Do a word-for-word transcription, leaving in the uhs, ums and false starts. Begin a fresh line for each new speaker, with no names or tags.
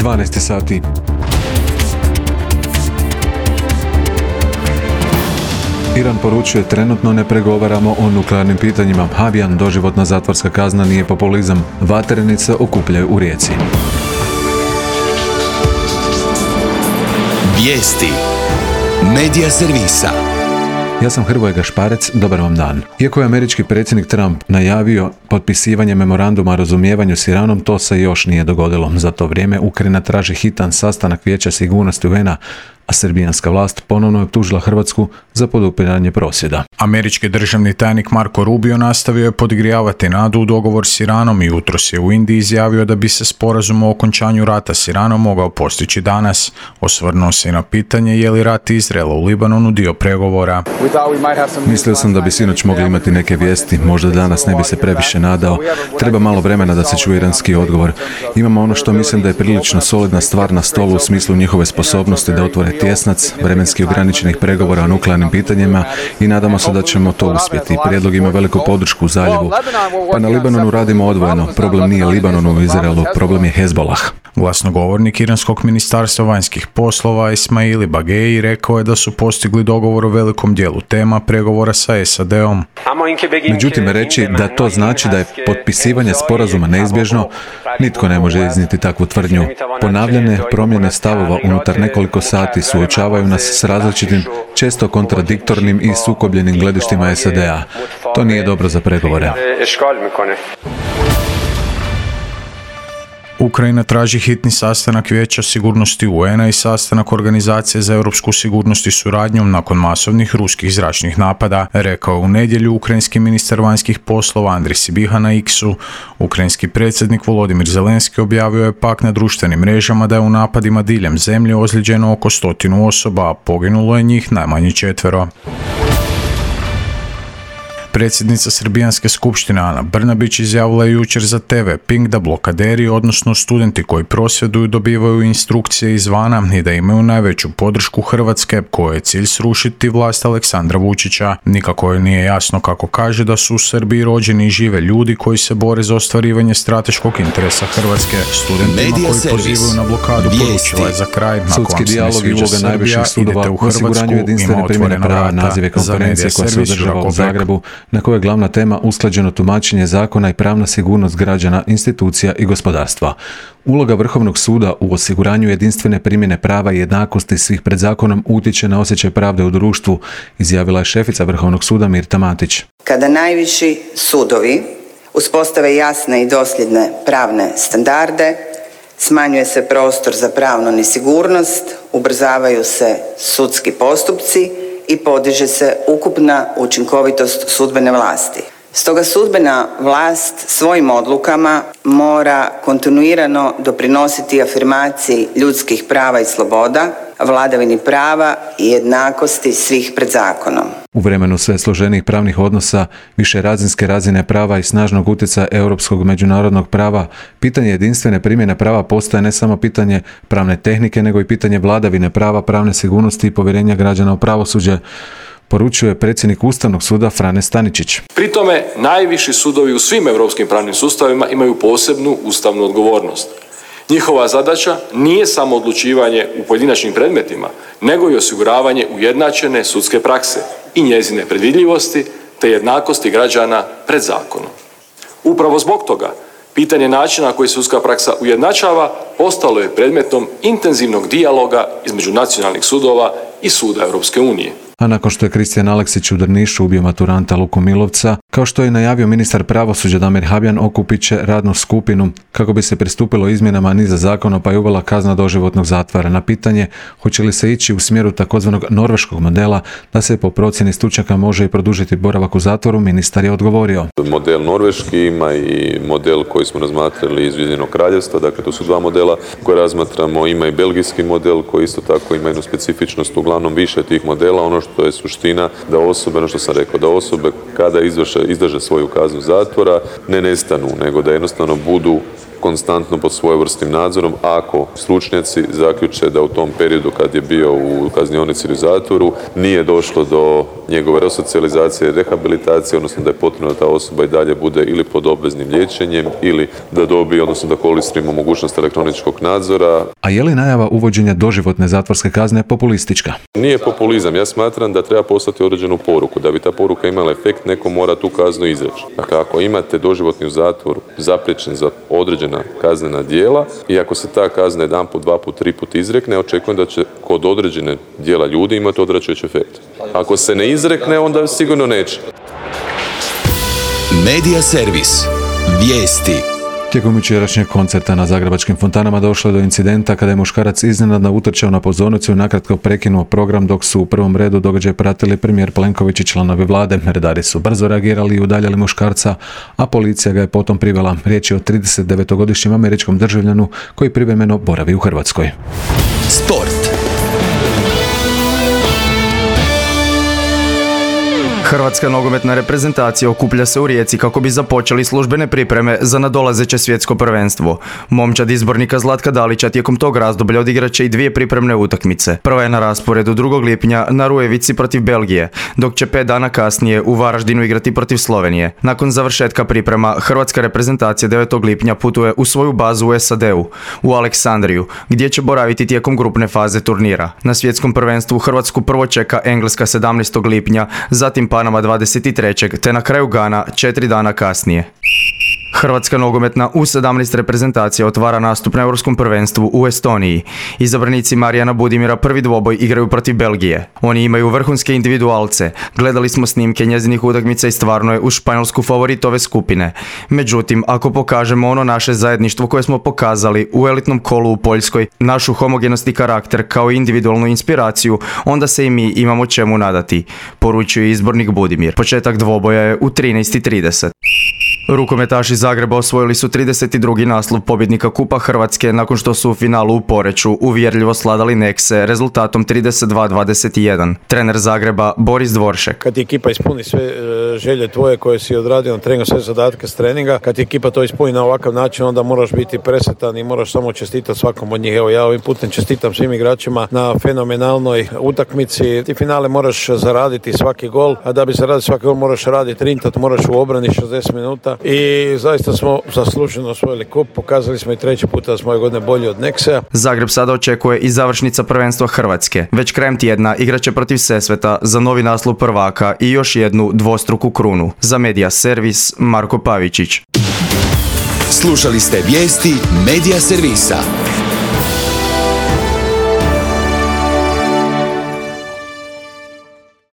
dvanaest sati. Iran poručuje trenutno ne pregovaramo o nuklearnim pitanjima. Habjan, doživotna zatvorska kazna nije populizam. Vatrenice okupljaju u Rijeci.
Vijesti Medija servisa.
Ja sam Hrvoje Gašparec, dobar vam dan. Iako je američki predsjednik Trump najavio potpisivanje memoranduma o razumijevanju s Iranom, to se još nije dogodilo. Za to vrijeme Ukrajina traži hitan sastanak Vijeća sigurnosti U N A, a srbijanska vlast ponovno je optužila Hrvatsku za podupiranje prosvjeda.
Američki državni tajnik Marko Rubio nastavio je podgrijavati nadu u dogovor s Iranom i jutros je u Indiji izjavio da bi se sporazum o okončanju rata s Iranom mogao postići danas. Osvrnuo se i na pitanje je li rat Izraela u Libanonu dio pregovora.
Mislio sam da bi sinoć mogli imati neke vijesti, možda danas ne bi se previše nadao. Treba malo vremena da se čuje iranski odgovor. Imamo ono što mislim da je prilično solidna stvar na stolu u smislu njihove sposobnosti da otvore tjesnac, vremenski ograničenih pregovora o nuklearnim pitanjima i nadamo se da ćemo to uspjeti. Prijedlog ima veliku podršku u zaljevu. Pa na Libanonu radimo odvojeno. Problem nije Libanon u Izraelu, problem je Hezbollah.
Glasnogovornik Iranskog ministarstva vanjskih poslova Ismaili Bageji rekao je da su postigli dogovor o velikom dijelu tema pregovora sa S A D-om.
Međutim, reći da to znači da je potpisivanje sporazuma neizbježno, nitko ne može iznijeti takvu tvrdnju. Ponavljane promjene stavova unutar nekoliko sati suočavaju nas s različitim, često kontradiktornim i sukobljenim gledištima S A D-a. To nije dobro za pregovore.
Ukrajina traži hitni sastanak Vijeća sigurnosti U N A i sastanak Organizacije za europsku sigurnost i suradnju nakon masovnih ruskih zračnih napada, rekao je u nedjelju ukrajinski ministar vanjskih poslova Andrij Sibiha na X-u. Ukrajinski predsjednik Volodimir Zelenski objavio je pak na društvenim mrežama da je u napadima diljem zemlje ozlijeđeno oko stotinu osoba, a poginulo je njih najmanje četvero. Predsjednica Srbijanske skupštine Ana Brnabić izjavila je jučer za T V Pink da blokaderi, odnosno studenti koji prosvjeduju, dobivaju instrukcije izvana i da imaju najveću podršku Hrvatske, kojoj je cilj srušiti vlast Aleksandra Vučića. Nikako joj nije jasno kako kaže da su u Srbiji rođeni i žive ljudi koji se bore za ostvarivanje strateškog interesa Hrvatske. Studentima koji pozivaju na blokadu poručila je za kraj:
sudski dijalog i uloga najviših sudova u osiguranju jedinstvene primjene prava, nazive konferencije koja se održava u Zagrebu, na kojoj je glavna tema usklađeno tumačenje zakona i pravna sigurnost građana, institucija i gospodarstva. Uloga Vrhovnog suda u osiguranju jedinstvene primjene prava i jednakosti svih pred zakonom utječe na osjećaj pravde u društvu, izjavila je šefica Vrhovnog suda Mirta Matić.
Kada najviši sudovi uspostave jasne i dosljedne pravne standarde, smanjuje se prostor za pravnu nesigurnost, ubrzavaju se sudski postupci i podiže se ukupna učinkovitost sudbene vlasti. Stoga sudbena vlast svojim odlukama mora kontinuirano doprinositi afirmaciji ljudskih prava i sloboda, vladavini prava i jednakosti svih pred zakonom.
U vremenu sve složenijih pravnih odnosa, više razinske razine prava i snažnog utjecaja europskog međunarodnog prava, pitanje jedinstvene primjene prava postaje ne samo pitanje pravne tehnike, nego i pitanje vladavine prava, pravne sigurnosti i povjerenja građana u pravosuđe, poručuje predsjednik Ustavnog suda Frane Staničić.
Pri tome, najviši sudovi u svim europskim pravnim sustavima imaju posebnu ustavnu odgovornost. Njihova zadaća nije samo odlučivanje u pojedinačnim predmetima, nego i osiguravanje ujednačene sudske prakse i njezine predvidljivosti te jednakosti građana pred zakonom. Upravo zbog toga, pitanje načina na koji sudska praksa ujednačava postalo je predmetom intenzivnog dijaloga između nacionalnih sudova i Suda Europske unije.
A nakon što je Kristijan Aleksić u Drnišu ubio maturanta Luku Milovca, kao što je najavio ministar pravosuđa Damir Habjan, okupit će radnu skupinu kako bi se pristupilo izmjenama niza zakona pa i uvela kazna doživotnog zatvora. Na pitanje hoće li se ići u smjeru takozvanog norveškog modela da se po procjeni stručnjaka može i produžiti boravak u zatvoru, ministar je odgovorio.
Model norveški ima i model koji smo razmatrali iz Ujedinjenog Kraljevstva, dakle to su dva modela koje razmatramo, ima i belgijski model koji isto tako ima jednu specifičnost, uglavnom više tih modela. Ono što je suština da osobe, ono što sam rekao, da osobe kada izvrše, izdrže svoju kaznu zatvora ne nestanu, nego da jednostavno budu konstantno pod svojevrsnim nadzorom ako stručnjaci zaključe da u tom periodu kad je bio u kaznionici ili zatvoru nije došlo do njegove resocijalizacije, rehabilitacije, odnosno da je potrebno da ta osoba i dalje bude ili pod obveznim liječenjem ili da dobije, odnosno da koristimo mogućnost elektroničkog nadzora.
A je li najava uvođenja doživotne zatvorske kazne populistička?
Nije populizam. Ja smatram da treba poslati određenu poruku. Da bi ta poruka imala efekt, neko mora tu kaznu izreći. Dakle, ako imate doživotni u zatvoru zapriječen za određena kaznena djela i ako se ta kazna jedan put, dva put, tri put izrekne, očekujem da će kod određene djela ljudi imati odvraćajući efekt. Ako se ne izrekne, onda sigurno neće.
Medija servis. Vijesti.
Tijekom jučerašnjeg koncerta na zagrebačkim fontanama došlo je do incidenta kada je muškarac iznenadno utrčao na pozornicu i nakratko prekinuo program dok su u prvom redu događaj pratili premijer Plenković i članovi vlade. Redari su brzo reagirali i udaljili muškarca, a policija ga je potom privela. Riječ je o tridesetdevetogodišnjem američkom državljanu koji privremeno boravi u Hrvatskoj.
Sport.
Hrvatska nogometna reprezentacija okuplja se u Rijeci kako bi započeli službene pripreme za nadolazeće svjetsko prvenstvo. Momčad izbornika Zlatka Dalića tijekom tog razdoblja odigrat će i dvije pripremne utakmice. Prva je na rasporedu drugog lipnja na Rujevici protiv Belgije, dok će pet dana kasnije u Varaždinu igrati protiv Slovenije. Nakon završetka priprema, hrvatska reprezentacija devetog lipnja putuje u svoju bazu u S A D-u, u Aleksandriju, gdje će boraviti tijekom grupne faze turnira. Na svjetskom prvenstvu Hrvatsku prvo čeka Engleska sedamnaestog lipnja, zatim Panama dvadeset trećeg te na kraju Gana četiri dana kasnije. Hrvatska nogometna U sedamnaest reprezentacija otvara nastup na Europskom prvenstvu u Estoniji. Izabranici Marijana Budimira prvi dvoboj igraju protiv Belgije. Oni imaju vrhunske individualce. Gledali smo snimke njezinih utakmica i stvarno je u Španjolsku favorit ove skupine. Međutim, ako pokažemo ono naše zajedništvo koje smo pokazali u elitnom kolu u Poljskoj, našu homogenost i karakter kao individualnu inspiraciju, onda se i mi imamo čemu nadati, poručuje izbornik Budimir. Početak dvoboja je u trinaest i trideset. Rukometaši Zagreba osvojili su trideset drugi naslov pobjednika Kupa Hrvatske nakon što su u finalu u Poreču uvjerljivo sladali Nekse rezultatom trideset dva dvadeset jedan. Trener Zagreba Boris Dvoršek.
Kad ti ekipa ispuni sve želje tvoje koje si odradio na treningu, sve zadatke s treninga, kad ti ekipa to ispuni na ovakav način, onda moraš biti presretan i moraš samo čestitati svakom od njih. Evo, ja ovim putem čestitam svim igračima na fenomenalnoj utakmici. Ti finale moraš zaraditi svaki gol, a da bi zaradio svaki gol moraš raditi rintat, moraš u obrani šezdeset minuta. I zaista smo zasluženo osvojili kup, pokazali smo i treći puta da smo ove godine bolji od Neksea.
Zagreb sada očekuje i završnica prvenstva Hrvatske. Već krajem tjedna igraće protiv Sesveta za novi naslov prvaka i još jednu dvostruku krunu. Za Medija servis Marko Pavičić.
Slušali ste vijesti Medija servisa.